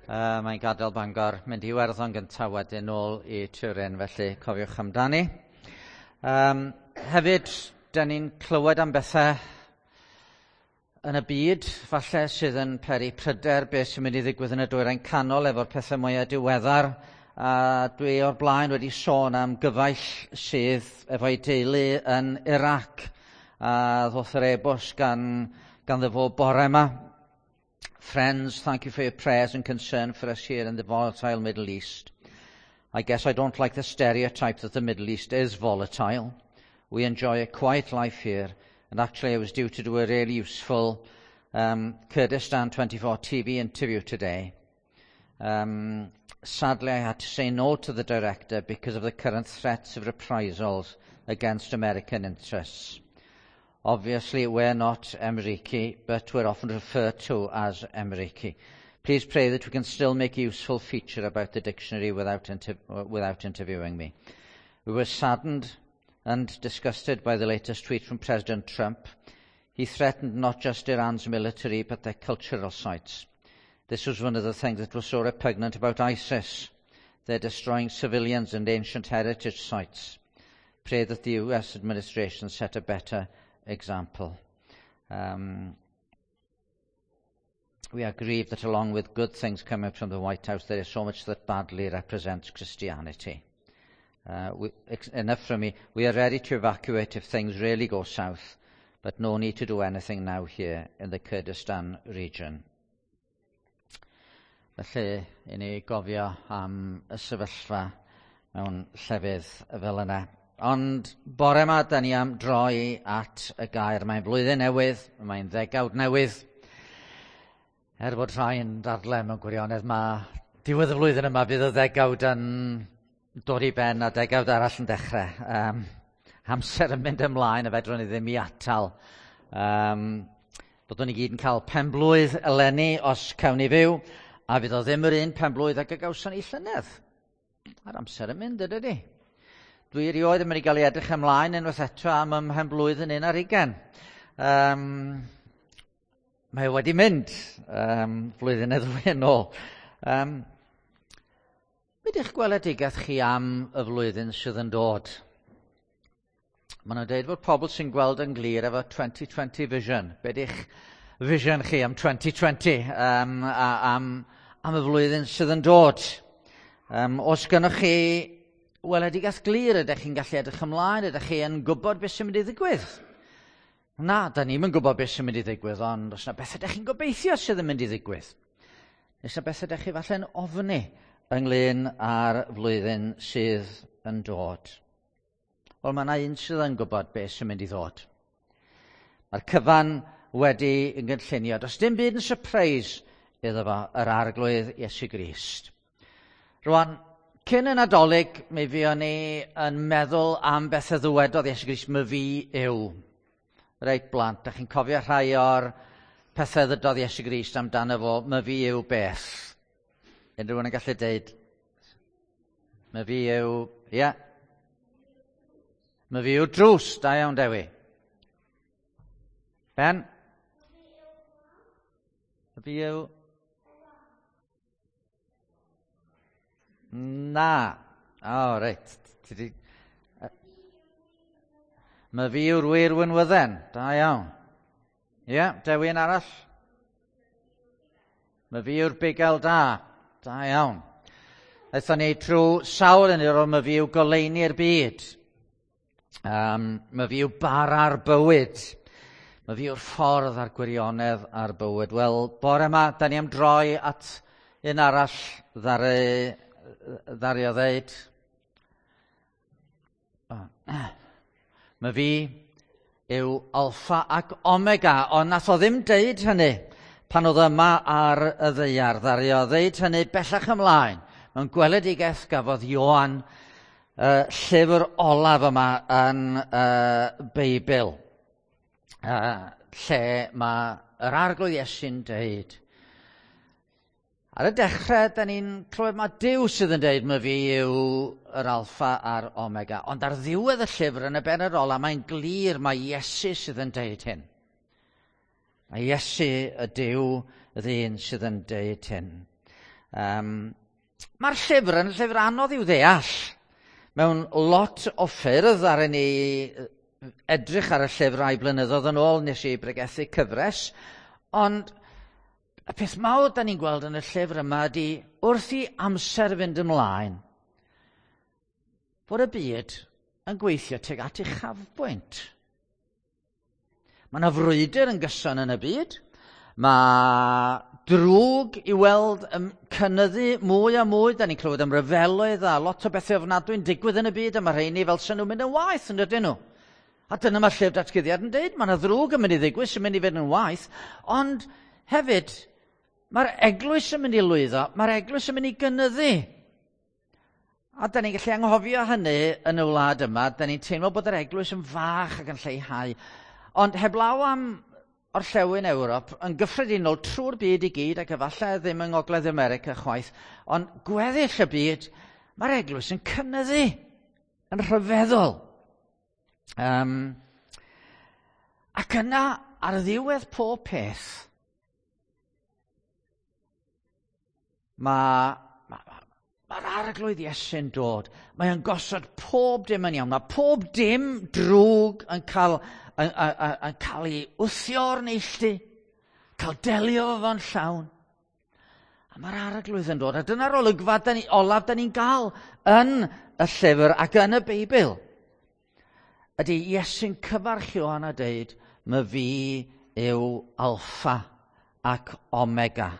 Mae'n gadael Bangor, mynd i Iwerddon gyntaf wedyn nôl i Turin, felly cofiwch amdani. Hefyd, da ni'n clywed am bethau yn y byd, falle sydd yn peri pryder beth sy'n mynd i ddigwydd yn y dwyrain canol efo'r pethau mwyaf diweddar. A dwi o'r blaen wedi sôn am gyfaill sydd efo'i deulu yn Iraq. A ddoth yr e-bost ganddo fo bore yma. Friends, thank you for your prayers and concern for us here in the volatile Middle East. I guess I don't like the stereotype that the Middle East is volatile. We enjoy a quiet life here, and actually I was due to do a really useful Kurdistan 24 TV interview today. Sadly, I had to say no to the director because of the current threats of reprisals against American interests. Obviously, we're not Emriki, but we're often referred to as Emriki. Please pray that we can still make a useful feature about the dictionary without interviewing me. We were saddened and disgusted by the latest tweet from President Trump. He threatened not just Iran's military, but their cultural sites. This was one of the things that was so repugnant about ISIS. They're destroying civilians and ancient heritage sites. Pray that the US administration set a better example. We are grieved that along with good things coming from the White House, there is so much that badly represents Christianity. Enough from me. We are ready to evacuate if things really go south, but no need to do anything now here in the Kurdistan region. Felly, i ni gofio am y sefyllfa mewn llefydd fel yna. Ond bore yma, da ni am droi at y gair. Mae'n flwyddyn newydd, mae'n ddegawd newydd. Er bod rhai yn dadle mewn gwirionedd, mae diwedd y flwyddyn yma bydd y ddegawd yn dod i ben a degawd arall yn dechrau. Amser yn mynd ymlaen a fedrwn ni ddim i atal. Byddwn ni gyd yn cael penblwydd eleni os cawn ni fyw, a fydd o ddim yr un penblwydd ag y gawson ni llynedd. Mae'r amser yn mynd, ydy? Dwi erioed yn mynd i gael ei edrych ymlaen unwaith eto am ym mhenblwydd yn 21. Mae wedi mynd flwyddyn neu ddwy yn ôl. Be di'ch gweledigaeth chi am y flwyddyn sydd yn dod? Maen nhw'n dweud fod pobl sy'n gweld yn glir efo 2020 vision. Be di'ch vision chi am 2020, a, am y flwyddyn sydd yn dod? Os gynnwch chi weledigaeth glir, ydych chi'n gallu edrych ymlaen, ydych chi yn gwybod beth sy'n mynd i ddigwydd? Na, da ni'm yn gwybod beth sy'n mynd i ddigwydd, ond os yna beth ydych chi'n gobeithio sydd yn mynd i ddigwydd? Neu yna beth ydych chi falle'n ofni ynglyn â'r flwyddyn sydd yn dod? Wel, mae yna un sydd yn gwybod beth sy'n mynd i ddod. Mae'r cyfan wedi yn gynllunio. Does dim byd yn surprise iddo fo, yr Arglwydd Iesu Grist. Rwan, cyn y Nadolig, mi fuon ni yn meddwl am beth y ddywedodd Iesu Grist, my fi yw. Reit blant, da chi'n cofio rhai o'r pethau ddydodd Iesu Grist amdano fo, my fi yw beth? Unrhyw un yn gallu deud? My fi yw, ie. Yeah. My fi yw drws, da iawn Dewi. Ben? My fi yw... Na. O, oh, reit. My fi yw'r wir winwydden. Da iawn. Ie, yeah, Dewi yn arall. My fi yw'r bugail da. Da iawn. Aethon ni trwy sawl un o'r my fi yw goleuni'r byd. My fi yw bara'r bywyd. My fi yw'r ffordd a'r gwirionedd a'r bywyd. Wel, bore yma, da ni am droi at un arall ddaru o ddeud. My fi yw Alpha ac Omega, ond nath o ddim deud hynny pan oedd yma ar y ddaear. Ddaru o ddeud hynny bellach ymlaen. Mewn gweledigaeth gafodd Ioan llyfr olaf yma yn Beibl, lle mae yr Arglwydd Iesu'n deud. Ar y dechrau, da ni'n clywed mae Duw sydd yn deud mae fi yw yr Alpha a'r Omega. Ond ar ddiwedd y llyfr yn y bennod ola, mae'n glir mae Iesu sydd yn deud hyn. Mae Iesu y Duw y ddyn sydd yn deud hyn. Mae'r llyfr yn llyfr anodd i'w ddeall. Mewn lot o ffyrdd ar ni edrych ar y llyfr rai blynyddoedd yn ôl nes i bregethu cyfres, ond y peth mawr da ni'n gweld yn y llyfr yma ydy wrth i amser fynd ymlaen, fod y byd yn gweithio tuag at uchafbwynt. Mae yna frwydr yn gyson yn y byd. Mae drwg i weld yn cynyddu mwy a mwy. Da ni'n clywed am ryfeloedd a lot o bethau ofnadwy'n digwydd yn y byd, a mae rheini fel sy'n nhw'n mynd yn waeth, yn dydyn nhw? A dyna mae llyfr datguddiad yn deud, mae yna ddrwg yn mynd i ddigwydd sy'n mynd i fynd yn waeth, ond hefyd mae'r eglwys yn mynd i lwyddo, mae'r eglwys yn mynd i gynyddu. A da ni'n gallu anghofio hynny yn y wlad yma, da ni'n teimlo bod yr eglwys yn fach ac yn lleihau. Ond heblaw am orllewin Ewrop, yn gyffredinol trwy'r byd i gyd, ac efallai ddim yng Ngogledd America chwaith, ond gweddill y byd, mae'r eglwys yn cynyddu, yn rhyfeddol. Ac yna, ar ddiwedd pob peth, mae'r arglwydd Iesu'n dod. Mae o'n gosod pob dim yn iawn. Mae pob dim drwg yn cael, yn cael ei wthio o'r neilltu, cael delio fo'n llawn. A mae'r arglwydd yn dod. A dyna'r olygfa olaf da ni'n gael yn y llyfr ac yn y Beibl. Ydy Iesu'n cyfarch Ioan a deud, "My fi yw Alpha ac Omega,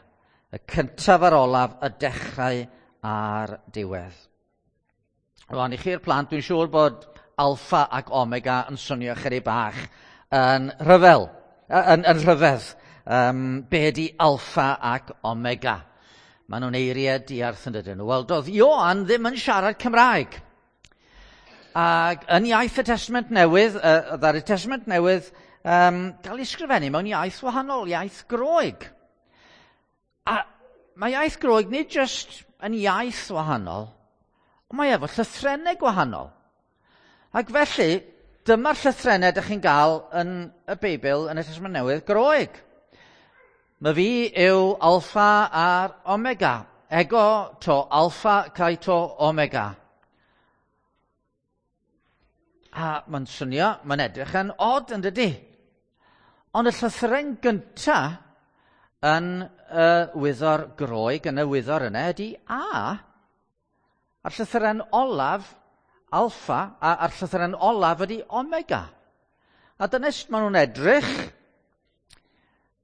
y cyntaf a'r olaf, y dechrau a'r diwedd." Rwan, i chi'r plant, dwi'n siŵr bod Alpha ac Omega yn swnio chydig bach yn rhyfel, yn rhyfedd. Be ydy Alpha ac Omega? Maen nhw'n eiriau diarth yn dydyn nhw. Wel, doedd Ioan ddim yn siarad Cymraeg. Ac yn iaith y Testament Newydd, ddaru Testament Newydd gael ei sgrifennu mewn iaith wahanol, iaith Groeg. A mae iaith Groeg nid jyst yn iaith wahanol, ond mae efo llythrennau gwahanol. Ac felly, dyma'r llythrennau ydych chi'n gael yn y Beibl yn y Testament Newydd Groeg. Mae fi yw Alpha a'r Omega. Ego to Alpha kai to Omega. A mae'n swnio, mae'n edrych yn od yn dydy. Ond y llythyren gynta yn y wyddor Groeg, yn y wyddor yna, ydy A. A'r llythyren olaf, Alpha, a'r llythyren olaf ydy Omega. A dyna sut maen nhw'n edrych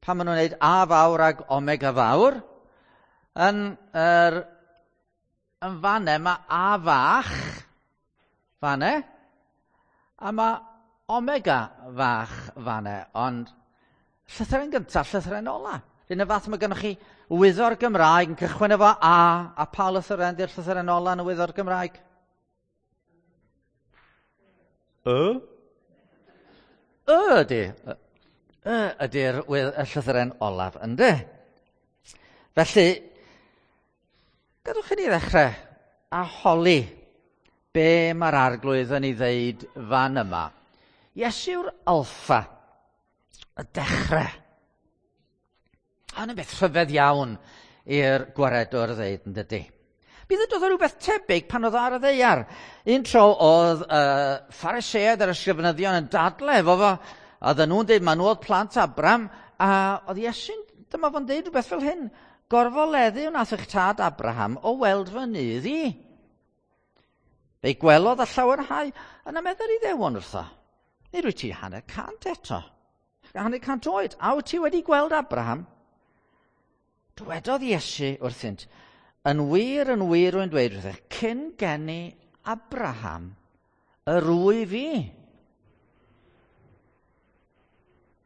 pan maen nhw'n gwneud A fawr ag Omega fawr. Yn fanne mae A fach, fanne, a mae Omega fach fanne, ond llythyren gyntaf, llythyren ola. R'un y fath mae gennych chi wyddor Gymraeg yn cychwyn efo A, a pa lythyren di'r llythyren ola yn y wyddor Gymraeg? Y? Y ydy. Y ydy'r llythyren olaf, ynddi? Felly, gadwch i ni ddechrau a holi be mae'r arglwydd yn ei ddeud fan yma. Iesu yw'r Alpha, y dechrau. Hwn yn beth rhyfedd iawn i'r gwaredwr ddeud yn dydy. Mi ddydodd o rhywbeth tebyg pan oedd ar y ddaear. Un tro oedd Phariseaid a'r ysgrifenyddion yn dadle efo fo, a oedden nhw'n dweud, maen nhw oedd plant Abraham, a oedd Iesu'n, dyma fo'n deud rhywbeth fel hyn, gorfoleddu wnaeth eich tad Abraham o weld fy nydd i. Fe'i gwelodd a llawenhau, yna meddwl i ddewon wrtho. Nid wyt ti 150 eto. 150 oed, a wyt ti wedi gweld Abraham? Dywedodd Iesu wrthynt, yn wir, rwy'n dweud wrthych, cyn geni Abraham, yr wyf fi.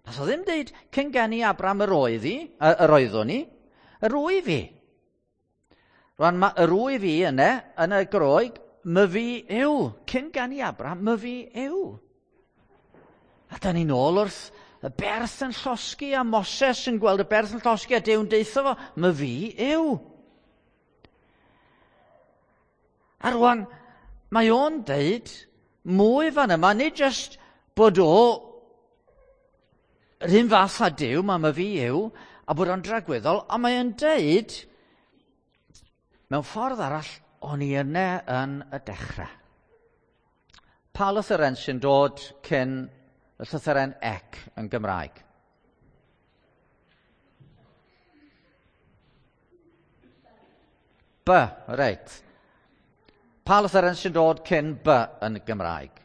Nath o ddim deud, cyn geni Abraham yr oedd i, yr oeddwn i, yr wyf fi. Rwan, mae yr wyf fi yna, yn y Groeg, my fi yw. Cyn geni Abraham, my fi yw. A da ni'n ôl wrth y berth yn llosgi a Moses yn gweld y berth yn llosgi a Duw'n deutho fo, my fi yw. A rwan, mae o'n deud mwy fan yma, nid jyst bod o yr un fath â Duw, mae my fi yw, a bod o'n dragwyddol, ond mae o'n deud Mewn ffordd arall, o'n i yna yn y dechrau. Pa lythyren sy'n dod cyn y llythyren ec yn Gymraeg? B, reit. Pa lythyren sy'n dod cyn B yn Gymraeg?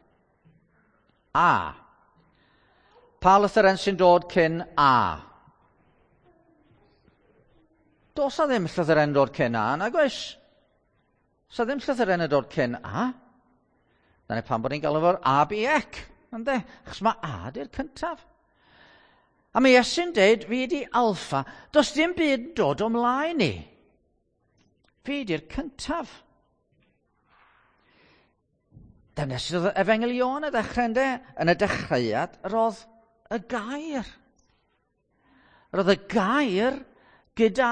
A. Pa lythyren sy'n dod cyn A? Does na ddim llythyren dod cyn A, nag oes? Sa ddim llythyren yn dod cyn A. Dyna pam bod ni'n galw fo'r A, B, C. Ynde? Achos mae A di'r cyntaf. A mae Iesu'n deud, fi di alfa, does dim byd yn dod o mlaen i. Fi di'r cyntaf. Dyna sydd oedd Efengyl Ioan y ddechrau, ynde? Yn y dechreuad, roedd y gair. Roedd y gair gyda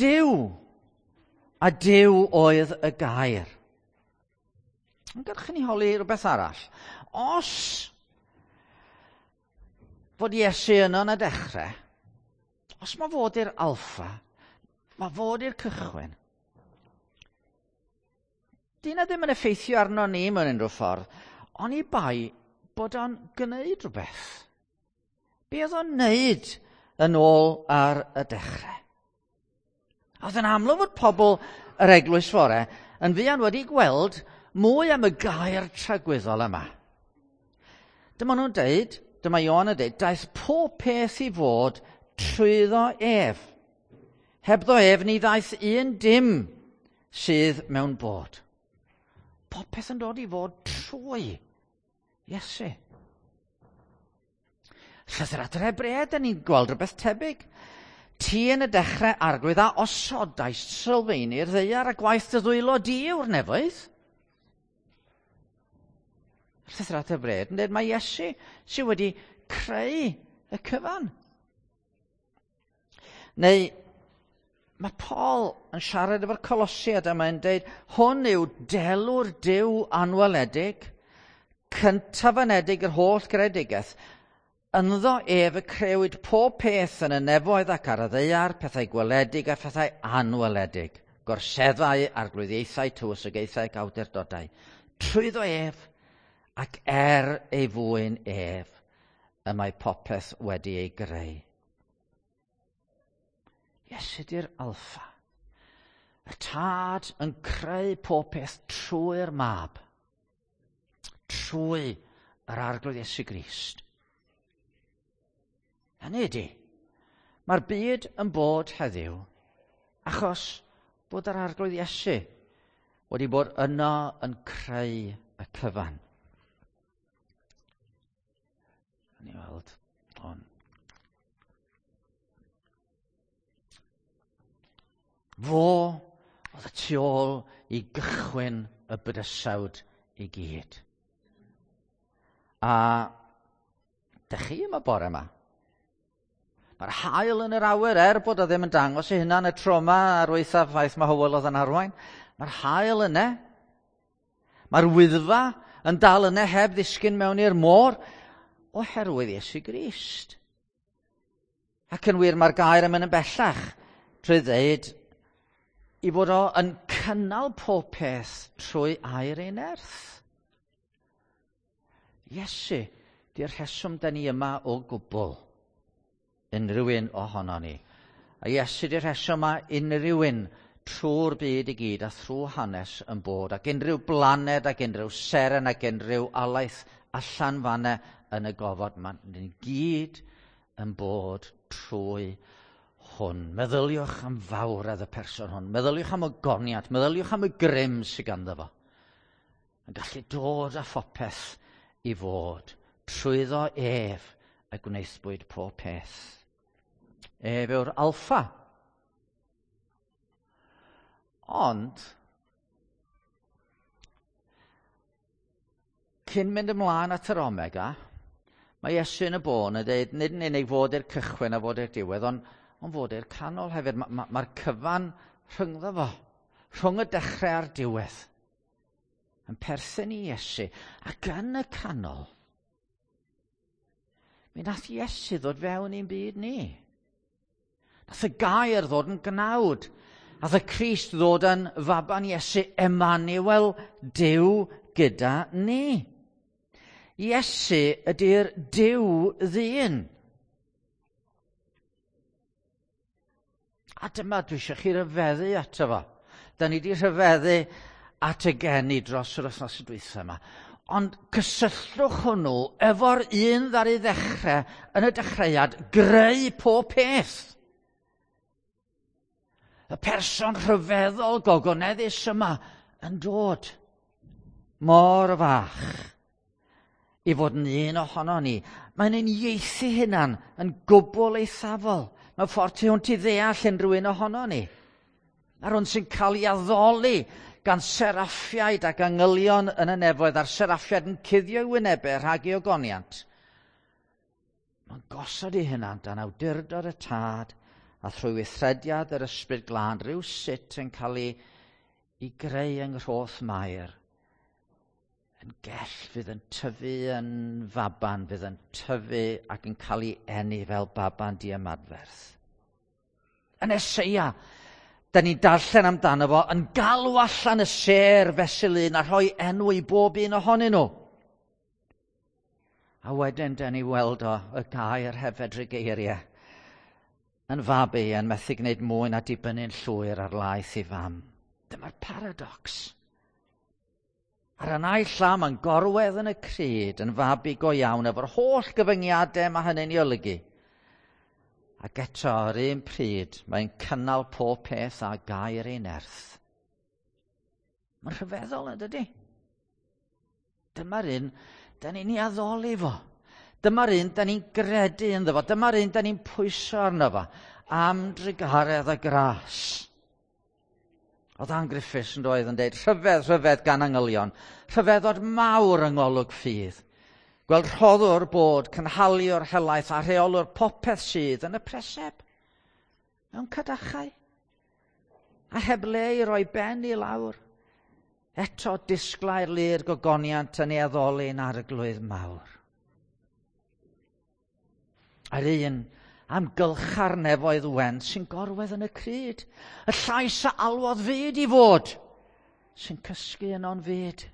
Duw. A Duw oedd y gair. Ond gadwch i ni holi rhywbeth arall. Os fod Iesu yno yn y dechrau, os mae fod i'r alfa, mae fod i'r cychwyn, Di na ddim yn effeithio arno ni mewn unrhyw ffordd, ond i bai bod o'n gwneud rhywbeth. Be oedd o'n wneud yn ôl ar y dechrau? Oedd yn amlwg fod pobl yr eglwys fore yn fuan wedi gweld mwy am y gair tragwyddol yma. Dyma nhw'n deud, dyma Ioan yn deud, daeth pob peth i fod trwyddo ef. Hebddo ef ni ddaeth un dim sydd mewn bod. Popeth yn dod i fod trwy Iesu. Llythyr at yr Hebreaid, da ni'n gweld rhywbeth tebyg. Ti yn y dechrau arglwydd a osodais sylfaeni'r ddaear a gwaith dy ddwylo di yw'r nefoedd. Llythyr at yr Hebreaid yn dweud mae Iesu sydd wedi creu y cyfan. Neu mae Paul yn siarad efo'r Colosiad a mae'n dweud, hwn yw delw'r Duw anweledig, cyntaf-anedig yr holl greadigaeth. Ynddo ef y crewyd pob peth yn y nefoedd ac ar y ddaear, pethau gweledig a phethau anweledig, gorseddau, arglwyddiaethau, tywysogaethau ac awdurdodau. Trwyddo ef ac er ei fwyn ef y mae popeth wedi ei greu. Iesu di'r alfa. Y tad yn creu pob peth trwy'r mab. Trwy yr arglwydd Iesu Grist. Hynny ydy, mae'r byd yn bod heddiw achos bod yr arglwydd Iesu wedi bod yno yn creu y cyfan. Ni weld hwn. Fo oedd y tu ôl i gychwyn y bydysawd i gyd. A dych chi yma bore yma. Mae'r haul yn yr awyr, er bod o ddim yn dangos ei hunan y tro yma ar waethaf ffaith mae Hywel oedd yn arwain. Mae'r haul yna. Mae'r wyddfa yn dal yna heb ddisgyn mewn i'r môr oherwydd Iesu Grist. Ac yn wir mae'r gair yn mynd yn bellach trwy ddeud i fod o yn cynnal pob peth trwy air ei nerth. Iesu, di'r rheswm da ni yma o gwbl. Unrhyw un ohono ni. A Iesu di'r rheswm mae unrhyw un trwy'r byd i gyd a thrwy hanes yn bod, ac unrhyw blaned ac unrhyw seren ac unrhyw alaeth allan fanna yn y gofod, mae ni gyd yn bod trwy hwn. Meddyliwch am fawredd y person hwn. Meddyliwch am y goniad. Meddyliwch am y grym sydd ganddo fo. Yn gallu dod â phopeth i fod. Trwyddo ef y gwnaethbwyd pob peth. Ef yw'r alffa. Ond, cyn mynd ymlaen at yr omega, mae Iesu yn y bôn yn dweud, nid yn unig fod i'r cychwyn a fod i'r diwedd, ond, ond fod i'r canol hefyd. Mae'r ma, ma cyfan rhyngddo fo, rhwng y dechrau a'r diwedd, yn perthyn i Iesu. Ac yn y canol, mi nath Iesu ddod fewn i'n byd ni. Nath y gair ddod yn gnawd. Ath y Crist ddod yn faban Iesu, Emmanuel, Duw gyda ni. Iesu ydy'r Duw ddyn. A dyma dwi eisiau chi ryfeddu ato fo. Da ni wedi rhyfeddu at y geni dros yr wythnos dwytha yma. Ond cysylltwch hwnnw efo'r un ddaru ddechrau yn y dechreuad greu pob peth. Y person rhyfeddol gogoneddus yma yn dod mor fach i fod yn un ohono ni. Mae'n uniaethu hunan yn gwbl eithafol. Mewn ffordd tu hwnt i ddeall unrhyw un ohono ni. A'r hwn sy'n cael ei addoli gan seraffiaid ac angylion yn y nefoedd, a'r seraffiaid yn cuddio ei wynebau rhag ei ogoniant. Mae'n gosod ei hunan dan awdurdod y Tad a thrwy weithrediad yr Ysbryd Glân rhyw sut yn cael ei greu yng nghroth Mair yn gell fydd yn tyfu yn faban, fydd yn tyfu ac yn cael ei eni fel baban diymadferth. Yn Eseia, da ni'n darllen amdano fo yn galw allan y sêr fesul un a rhoi enw i bob un ohonyn nhw. A wedyn, da ni weld o y gair heb fedru geiriau yn fabi yn methu gwneud mwy na dibynnu'n llwyr ar laeth ei fam. Dyma'r paradox. Ar y naill llaw mae'n gorwedd yn y cryd yn fabi go iawn efo'r holl gyfyngiadau mae hynny'n ei olygu. Ac eto, ar un pryd, mae'n cynnal pob peth a gair ei nerth. Mae'n rhyfeddol, yn dydy? Dyma'r un da ni'n ei addoli fo. Dyma'r un da ni'n gredu ynddo fo. Dyma'r un da ni'n pwyso arno fo am drugaredd a gras. Oedd Ann Griffiths yn doedd yn dweud, rhyfedd, rhyfedd gan angylion, rhyfeddod mawr yng ngolwg ffydd. Gweld rhoddwr bod, cynhaliwr helaeth a rheolwr popeth sydd yn y preseb, mewn cadachau, a heb le i roi ben i lawr. Eto disglair lu'r gogoniant yn ei addoli'n arglwydd mawr. A'r un amgylcha'r nefoedd wen sy'n gorwedd yn y cryd. Y llais a alwodd fyd i fod, sy'n cysgu yno'n fyd.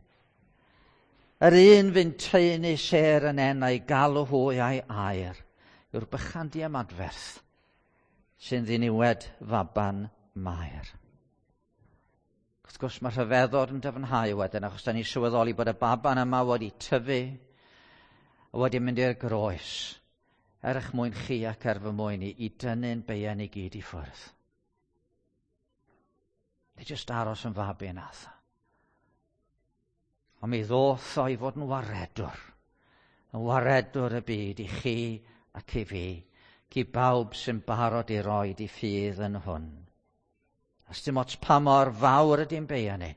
Yr un fy'n taenu sêr yn enau galw hwy a'i air, yw'r bychan diymadferth sy'n ddiniwed faban Mair. Wrth gwrs mae rhyfeddod yn dyfnhau wedyn, achos da ni'n sylweddoli bod y baban yma wedi tyfu a wedi mynd i'r groes, er eich mwyn chi ac er fy mwyn i, i dynnu'n beiau ni gyd i ffwrdd. Nid jyst aros yn fabi yn atha. Ond mi ddoth o i fod yn waredwr y byd i chi ac i fi, i bawb sy'n barod i roid i ffydd yn hwn. A sdim ots pa mor fawr ydy'n beia ni.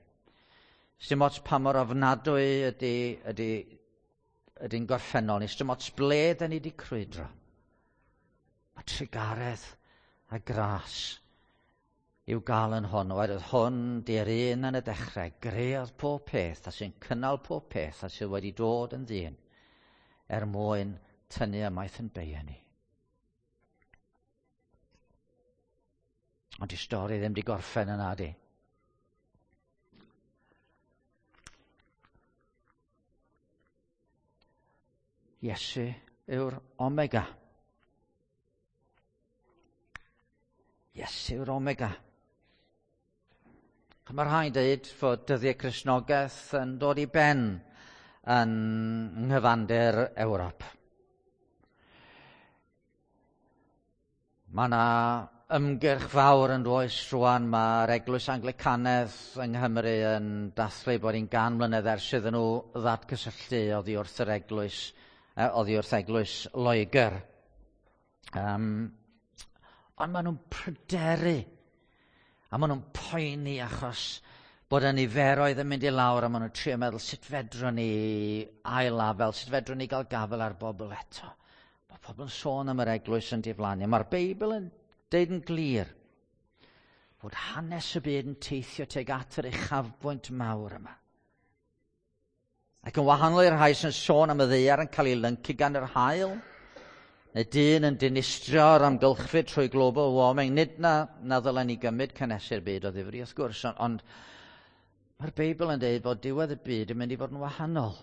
Sdim ots pa mor ofnadwy ydy'n gorffennol ni. Sdim ots ble da ni wedi crwydro. Mae trugaredd a gras i'w gael yn hwn. Oherwydd hwn di'r un yn y dechrau, greodd pob peth a sy'n cynnal pob peth a sydd wedi dod yn ddyn er mwyn tynnu ymaith yn beia ni. Ond di stori ddim di gorffen yna, di. Iesu yw'r Omega. Iesu yw'r Omega. Mae rhai'n dweud fod dyddiau Cristnogaeth yn dod i ben yn nghyfandir Ewrop. Mae yna ymgyrch fawr yn does rwan. Mae'r Eglwys Anglicanedd yng Nghymru yn dathlu bod hi'n 100 mlynedd ers iddyn nhw ddatgysylltu oddi wrth yr eglwys, oddi wrth Eglwys Loegr. Ond maen nhw'n pryderu a maen nhw'n poeni achos bod y niferoedd yn mynd i lawr a maen nhw'n trio meddwl sut fedrwn ni ail-afel, sut fedrwn ni gael gafel ar bobl eto. Mae pobl yn sôn am yr eglwys yn diflannu. Mae'r Beibl yn deud yn glir fod hanes y byd yn teithio tuag at yr uchafbwynt mawr yma. Ac yn wahanol i'r rhai sy'n sôn am y ddaear yn cael ei lyncu gan yr haul, neu dyn yn dinistrio'r amgylchfyd trwy global warming. Nid na ddylen ni gymryd cynhesu'r byd o ddifri, wrth gwrs, ond mae'r Beibl yn dweud bod diwedd y byd yn mynd i fod yn wahanol.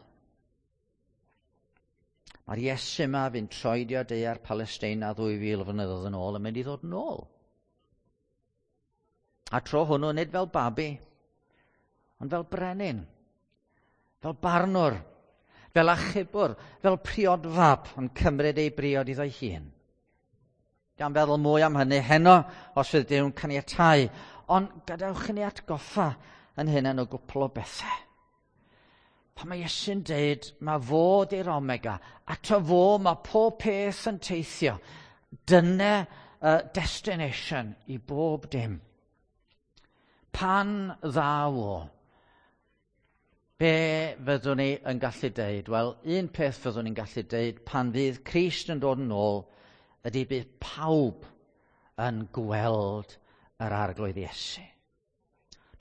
Mae'r Iesu yma fu'n troedio daear Palesteina 2000 o flynyddoedd yn ôl yn mynd i ddod yn ôl. A tro hwnnw nid fel babi, ond fel brenin, fel barnwr, fel achubwr, fel priodfab yn cymryd ei briod iddo'i hun. Gan feddwl mwy am hynny heno os fydd Duw'n caniatáu, ond gadewch i ni atgoffa yn hyn o gwpl o bethau. Pan mae Iesu'n deud, mae fo 'di'r omega, ato fo mae pob peth yn teithio. Dyna destination i bob dim. Pan ddaw o, be fyddwn ni yn gallu deud? Wel, un peth fyddwn ni'n gallu deud pan fydd Crist yn dod yn ôl ydy bydd pawb yn gweld yr Arglwydd Iesu.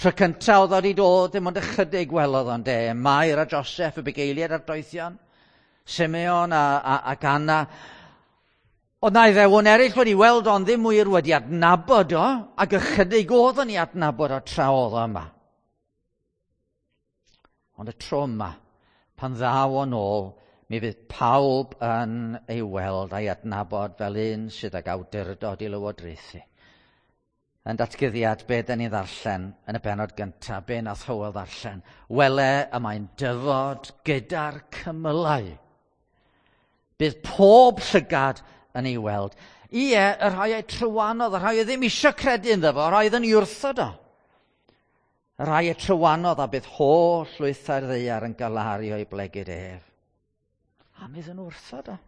Tro cyntaf oedd o wedi dod, dim ond ychydig welodd o'n de. Mair a Joseph, y bugeiliaid a'r doethion, Simeon ac Anna. Oedd na Iddewon eraill wedi weld o'n ddim wir wedi adnabod o, ac ychydig oedd o'n i adnabod o tra oedd o yma. Ond y tro yma, pan ddaw o'n ôl, mi fydd pawb yn ei weld a'i adnabod fel un sydd ag awdurdod i lywodraethu. Yn datguddiad, be da ni ddarllen yn y bennod gyntaf, be nath Hywel ddarllen? Wele y mae'n dyfod gyda'r cymylau. Bydd pob llygad yn ei weld. Ie, y rhai ei trywanodd, y rhai oedd ddim eisiau credu ynddo fo, y rhai oedd yn ei wrthod o. Y rhai y trywanodd a bydd holl lwythau'r ddaear yn galaru o'i blegid ef. A mi iddyn nhw wrthod o.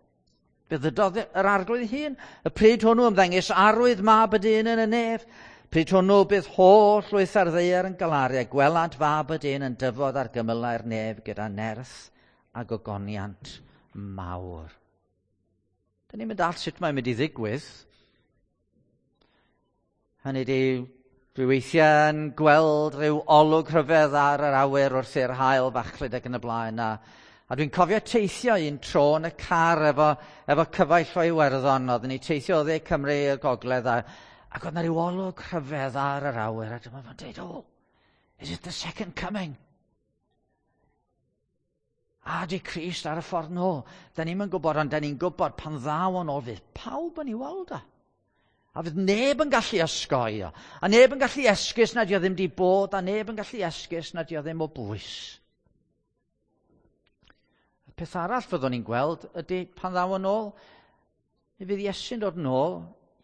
Fe ddydodd yr Arglwydd hun. Y pryd hwnnw ymddengys arwydd mab y dyn yn y nef. Pryd hwnnw bydd holl lwythau'r ddaear yn galaru a gwelant fab y dyn yn dyfod ar gymylau'r nef gyda nerth a gogoniant mawr. Dyn ni'n mynd all sut mae'n mynd i ddigwydd. Hynny ydi, dwi weithiau yn gweld rhyw olwg rhyfedd ar yr awyr wrth i'r haul fachlud ac yn y blaen. A dwi'n cofio teithio un tro yn y car efo cyfaill o Iwerddon. Oedden ni teithio o dde Cymru i'r gogledd ac oedd yna rhyw olwg rhyfedd ar yr awyr. A dyma fo'n dweud, "Oh, is it the second coming? A di Crist ar y ffordd nôl?" Da ni'n gwybod, ond da ni'n gwybod pan ddaw o'n ôl fydd pawb yn ei weld o. A fydd neb yn gallu osgoi o. A neb yn gallu esgus nad o ddim di bod, a neb yn gallu esgus nad o ddim o bwys. Y peth arall fyddwn ni'n gweld ydy pan ddaw yn ôl, mi fydd Iesu'n dod yn ôl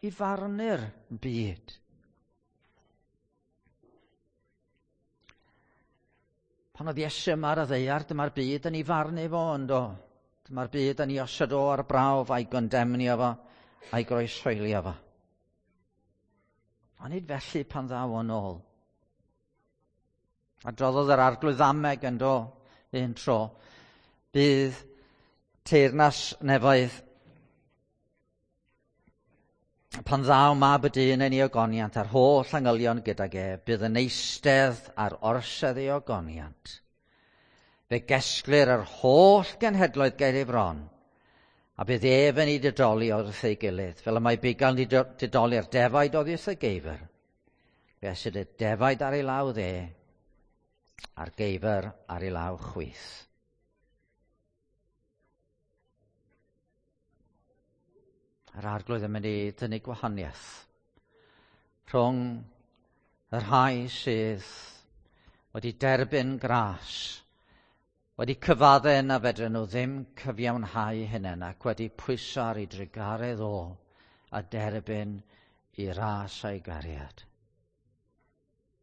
i farnu'r byd. Pan oedd Iesu yma ar y ddaear, dyma'r byd yn ei farnu fo, yndo. Dyma'r byd yn ei osod o ar brawf a'i gondemnio fo, a'i groeshoelio fo. Ond nid felly pan ddaw o'n ôl. Adroddodd yr Arglwydd Ddameg yn do un tro. Bydd teyrnas nefoedd pan ddaw mab y dyn yn ei ogoniant a'r holl angylion gydag e, bydd yn eistedd ar orsedd ei ogoniant. Fe gesglir yr holl genhedloedd ger ei fron, a bydd ef yn ei didoli wrth ei gilydd, fel y mae bugail yn didoli'r defaid oddi wrth y geifr. Fe esyd y defaid ar ei law dde, a'r geifr ar ei law chwith. Yr Arglwydd yn mynd i dynnu gwahaniaeth rhwng y rhai sydd wedi derbyn gras, wedi cyfadde na fedryn nhw ddim cyfiawnhau hunain ac wedi pwyso ar ei drugaredd o a derbyn i ras a'i gariad.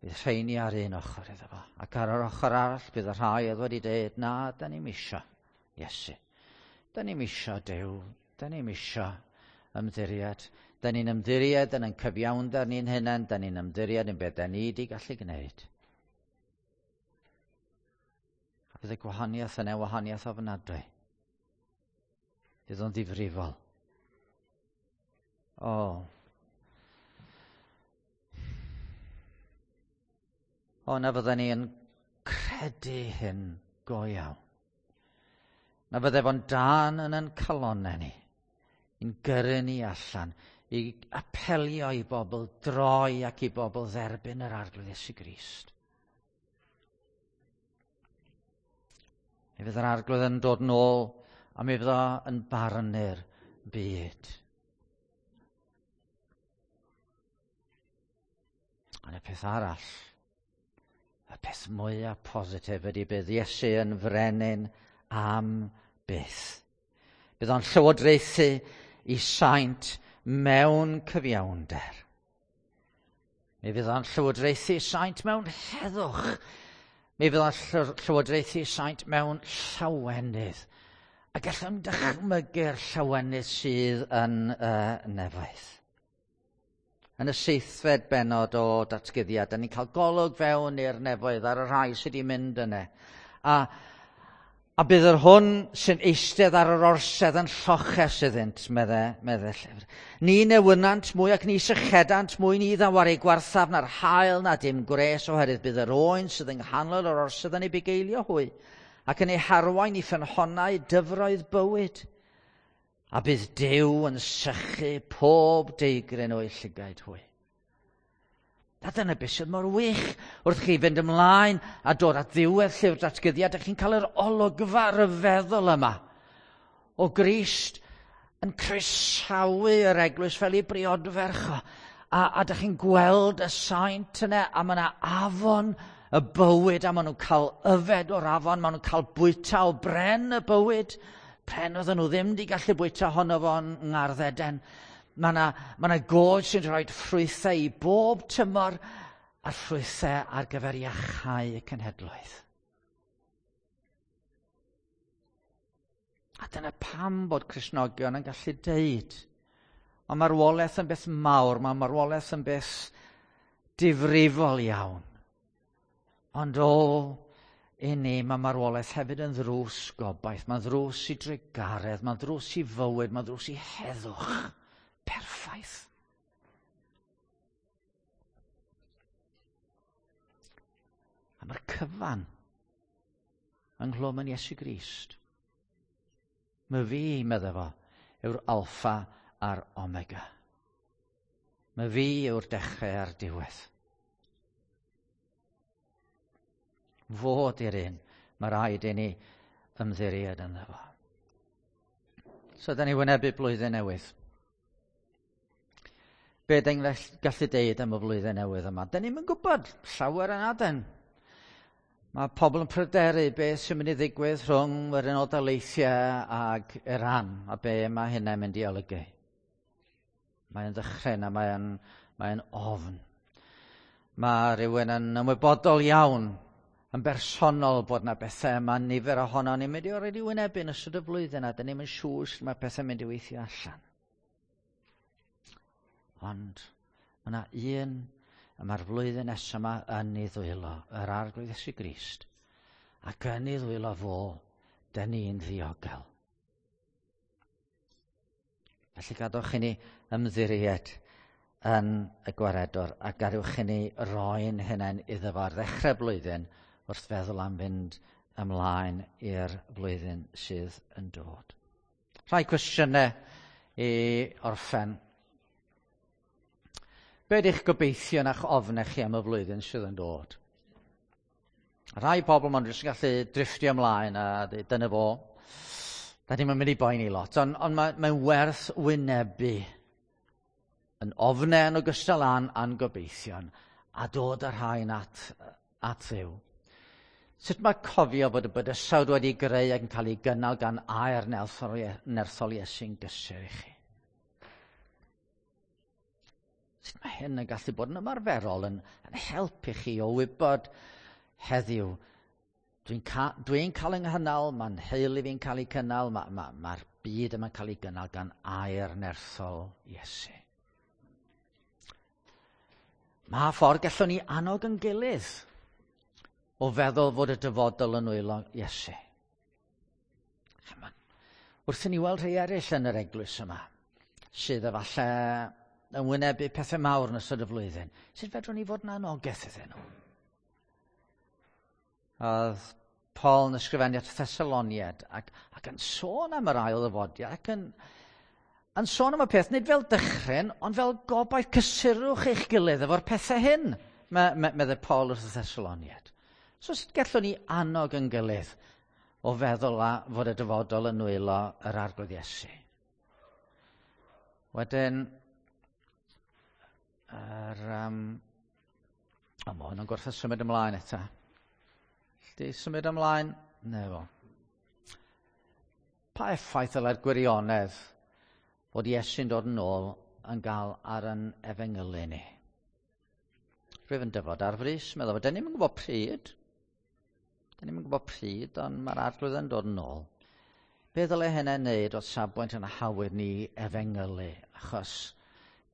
Bydd rheini ar un ochr iddo fo, ac ar yr ochr arall bydd y rhai oedd wedi dweud, na, da ni'm isio Iesu. Da ni'm isio Duw, da ni'm isio ymddiried. Da ni'n ymddiried yn ein cyfiawnder ni'n hunain, da ni'n ymddiried yn beth da ni wedi gallu gwneud. A bydd y gwahaniaeth yna wahaniaeth ofnadwy. Bydd o'n ddifrifol. O. O, na fydden ni yn credu hyn go iawn. Na fydde fo'n dân yn ein calonnau ni. I'n gyrru ni allan, i apelio i bobl droi ac i bobl dderbyn yr Arglwydd Iesu Grist. Mi fydd yr Arglwydd yn dod nôl a mi fydd o yn barnu'r byd. Ond y peth arall, y peth mwyaf positif ydy bydd Iesu yn frenin am byth. Bydd o'n llywodraethu i saint mewn cyfiawnder. Mi fydd o'n llywodraethu saint mewn heddwch. Mi fydd o'n llywodraethu saint mewn llawenydd. A gallwn dychmygu'r llawenydd sydd yn y nefoedd. Yn y seithfed bennod o datguddiad, da ni'n cael golwg fewn i'r nefoedd ar y rhai sydd wedi mynd yna. A bydd yr hwn sy'n eistedd ar yr orsedd yn lloches iddynt, medde, medde llyfr. Ni newynant mwy ac ni sychedant mwy, ni ddaw ar ei gwarthaf na'r haul na dim gwres, oherwydd bydd yr oen sydd yng nghanol yr orsedd yn ei bugeilio hwy, ac yn ei harwain i ffynhonnau dyfroedd bywyd. A bydd Duw yn sychu pob deigryn o'u llygaid hwy. A dyna beth sydd mor wych wrth chi fynd ymlaen a dod at ddiwedd llyfr datguddiad, ydych chi'n cael yr olygfa ryfeddol yma o Grist yn croesawu yr eglwys fel ei briodferch o. A ydych chi'n gweld y saint yna, a mae yna afon y bywyd, a maen nhw'n cael yfed o'r afon, maen nhw'n cael bwyta o bren y bywyd. Pren oedden nhw ddim wedi gallu bwyta honno fo'n ngardd Eden. Mae yna ma 'na goed sy'n rhoi ffrwythau i bob tymor a'r ffrwythau ar gyfer iachau y cenhedloedd. A dyna pam bod Cristnogion yn gallu deud, mae marwolaeth yn beth mawr, mae marwolaeth yn beth difrifol iawn. Ond o, i ni, mae marwolaeth hefyd yn ddrws gobaith, mae'n ddrws i drugaredd, mae'n ddrws i fywyd, mae'n ddrws i heddwch perffaith. A mae'r cyfan ynghlwm yn Iesu Grist. Mae fi, medde fo, yw'r alffa a'r omega. Mae fi yw'r dechrau a'r diwedd. Fod i'r un, mae rhaid i ni ymddiried ynddo fo. So, da ni wynebu blwyddyn newydd. Be da ni'n gallu deud am y flwyddyn newydd yma? Da ni'n gwybod llawer yn aden. Mae pobl yn pryderu beth sy'n mynd i ddigwydd rhwng yr Unol Daleithiau ag Iran a be mae hynna'n mynd i olygu. Mae'n ddychryn a mae'n mae ofn. Mae rhywun yn ymwybodol iawn yn bersonol bod na bethau mae nifer ohono ni'n mynd i orfod i wynebu yn ystod y flwyddyn a dyn ni'n mynd siŵr sut mae pethau'n mynd i weithio allan. Ond mae yna un y mae'r flwyddyn nesaf yma yn ei ddwylo, yr Arglwydd Iesu Grist. Ac yn ei ddwylo fo, dyn ni'n ddiogel. Felly gadwch i ni ymddiried yn y gwaredwr a gadwch i ni roi'n hunain iddo fo ar ddechrau blwyddyn wrth feddwl am fynd ymlaen i'r flwyddyn sydd yn dod. Rhai cwestiynau i orffen. Be ydych gobeithio na'ch ofnau chi am y flwyddyn sydd yn dod? Rhai pobl maen nhw jyst yn gallu drifftio ymlaen a dweud, dyna fo. Da ni'n mynd i boeni lot, ond on mae'n mae werth wynebu yn ofnau yn ogystal â'n a'n gobeithion a dod â'r rhain at, at Dduw. Sut mae cofio bod y bydysawd wedi greu ac yn cael ei gynnal gan air nerthol Iesu'n gysur i chi? Sut mae hyn yn gallu bod yn ymarferol, yn, yn helpu chi o wybod heddiw, dwi'n ca dwi cael yng nghynnal, mae'n nheulu fi'n cael ei cynnal, mae'r ma, ma, ma byd yma'n cael ei gynnal gan air nerthol Iesu. Mae ffordd gallwn ni annog yn gilydd o feddwl fod y dyfodol yn nwylo Iesu. Chymod, wrth i ni weld rhai eraill yn yr eglwys yma, sydd efallai yn wynebu pethau mawr yn ystod y flwyddyn, sut fedrwn ni fod yn anogaeth iddyn nhw? Oedd Paul yn ysgrifennu at Thessaloniad ac, ac yn sôn am yr ail ddyfodiad ac yn, yn sôn am y peth, nid fel dychryn, ond fel gobaith cysurwch eich gilydd efo'r pethau hyn, meddai Paul wrth y Thessaloniaid. So sut gallwn ni annog yn gilydd o feddwl a fod y dyfodol yn nwylo yr Arglwydd Iesu? Wedyn, o, mae hwn yn gwrthod symud ymlaen eto. Di symud ymlaen? Ne fo. Pa effaith ddylai'r gwirionedd fod Iesu'n dod yn ôl yn gael ar yn efengylu ni? Rwyf yn dyfod ar frys, meddwl, dyn ni'm yn gwybod pryd. Dyn ni'm yn gwybod pryd, ond mae'r Arglwydd yn dod yn ôl. Be ddylai hynna wneud o safbwynt yn hawyr ni efengylu? Achos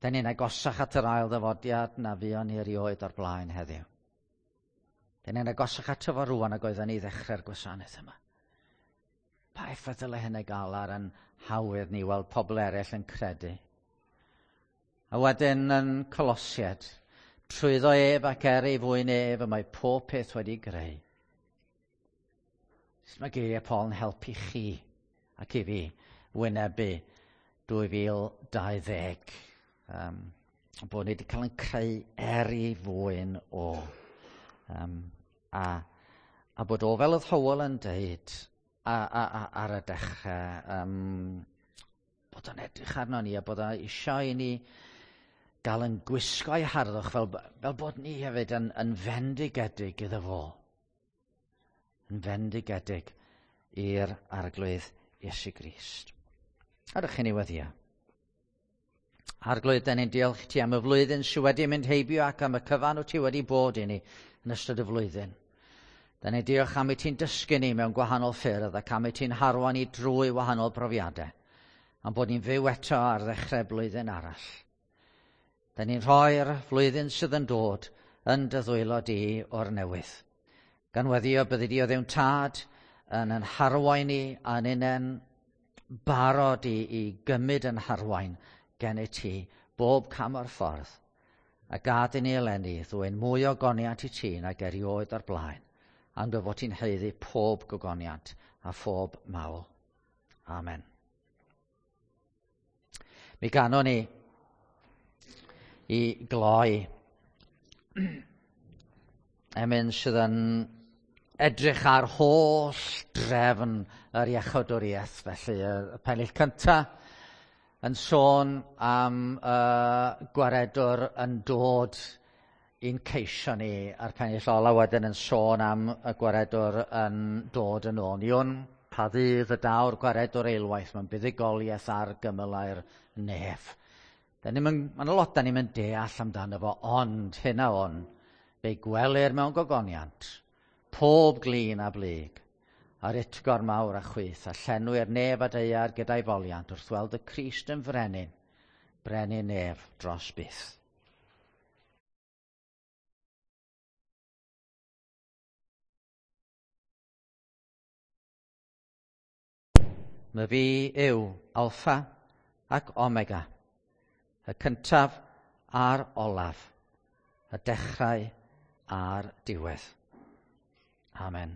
dyn ni'n agosach at yr ail ddyfodiad na fuon ni erioed o'r blaen heddiw. Dyn ni'n agosach ato fo rŵan ag oedden ni ddechrau'r gwasanaeth yma. Pa effaith ddylai hynny gael ar yn hawyr ni weld pobl eraill yn credu? A wedyn yn Colosiaid, trwyddo ef ac er ei fwyn ef y mae pob peth wedi greu. Sut mae geiriau Paul yn helpu chi ac i fi wynebu 2020? Bod ni wedi cael yn creu er ei fwyn o. A bod o fel oedd Hywel yn deud ar y dechrau, bod o'n edrych arno ni a bod o eisiau i ni gael yn gwisgo ei harddwch fel bod ni hefyd yn fendigedig iddo fo. Yn fendigedig i'r Arglwydd Iesu Grist. A rydych chi'n ei weddio. Arglwydd, dan ni'n diolch i ti am y flwyddyn sydd wedi mynd heibio ac am y cyfan wyt ti wedi bod i ni yn ystod y flwyddyn. Dan ni'n diolch am i ti'n dysgu ni mewn gwahanol ffyrdd ac am i ti'n harwain ni drwy wahanol brofiadau, am bod ni'n fyw eto ar ddechrau blwyddyn arall. Dan ni'n rhoi'r flwyddyn sydd yn dod yn dy ddwylo di o'r newydd. Gan weddio byddi di o Dduw'n Tad yn yn harwain ni a'n unen barod i gymryd yn harwain gen i ti bob cam o'r ffordd, a gad i ni eleni ddwyn mwy o goniant i ti nag erioed o'r blaen, am dy fod ti'n haeddu pob gogoniant a phob mawl. Amen. Mi ganon ni i gloi emyn sydd yn edrych ar holl drefn yr iachawdwriaeth. Felly y pennill cyntaf yn sôn am gwaredwr yn dod i'n ceisio ni, a'r pennill ola wedyn yn sôn am y gwaredwr yn dod yn ôl. Ni wn pa ddydd y daw'r gwaredwr eilwaith mewn buddugoliaeth ar gymylau'r nef. Mae'n lot da ni'n mynd deall amdano fo, ond hyn a hwn, fe gwelir mewn gogoniant, pob glin a blyg, a'r utgor mawr a chwith, a llenwi'r nef a daear gyda'i foliant wrth weld y Crist yn frenin, brenin nef dros byth. My fi yw Alpha ac Omega, y cyntaf a'r olaf, y dechrau a'r diwedd. Amen.